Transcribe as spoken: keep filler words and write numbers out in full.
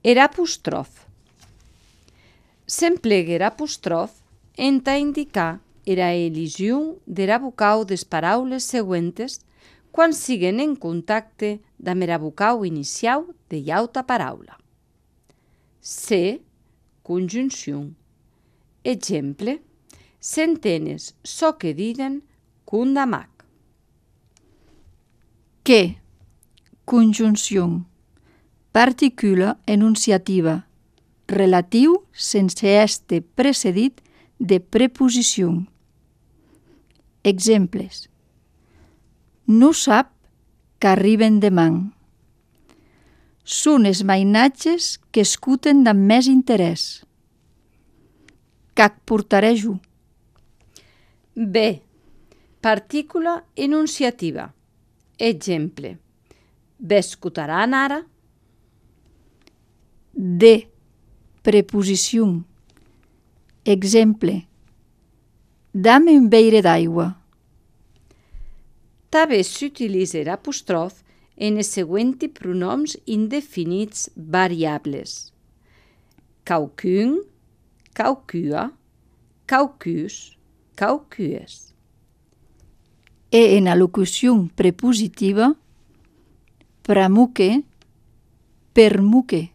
Era apostròf. S'emplegue era apostròf entà indicar era elision dera vocau des paraules següentes quan siguen en contacte damb era vocau iniciau de auta paraula. Se, conjunción. Exemple, s'entenes çò que diden con damac. Que, conjunción. Particula enunciativa, relatiu sense èster precedit de preposició. Exemples. Non sap qu'arriben deman. Son es mainatges qu'escuten damb més interès. Qu'ac portarè jo. B. Partícula enunciativa. Exemple. Vescotaran ara? D. Preposició. Exemple. Dame un beire d'aigua. Tanben s'utilise era apostròf en es següenti pronoms indefinits variables. Quauquun, quauqua, quaucus, quaucues. E en alocució prepositiva, pramuque, permuque.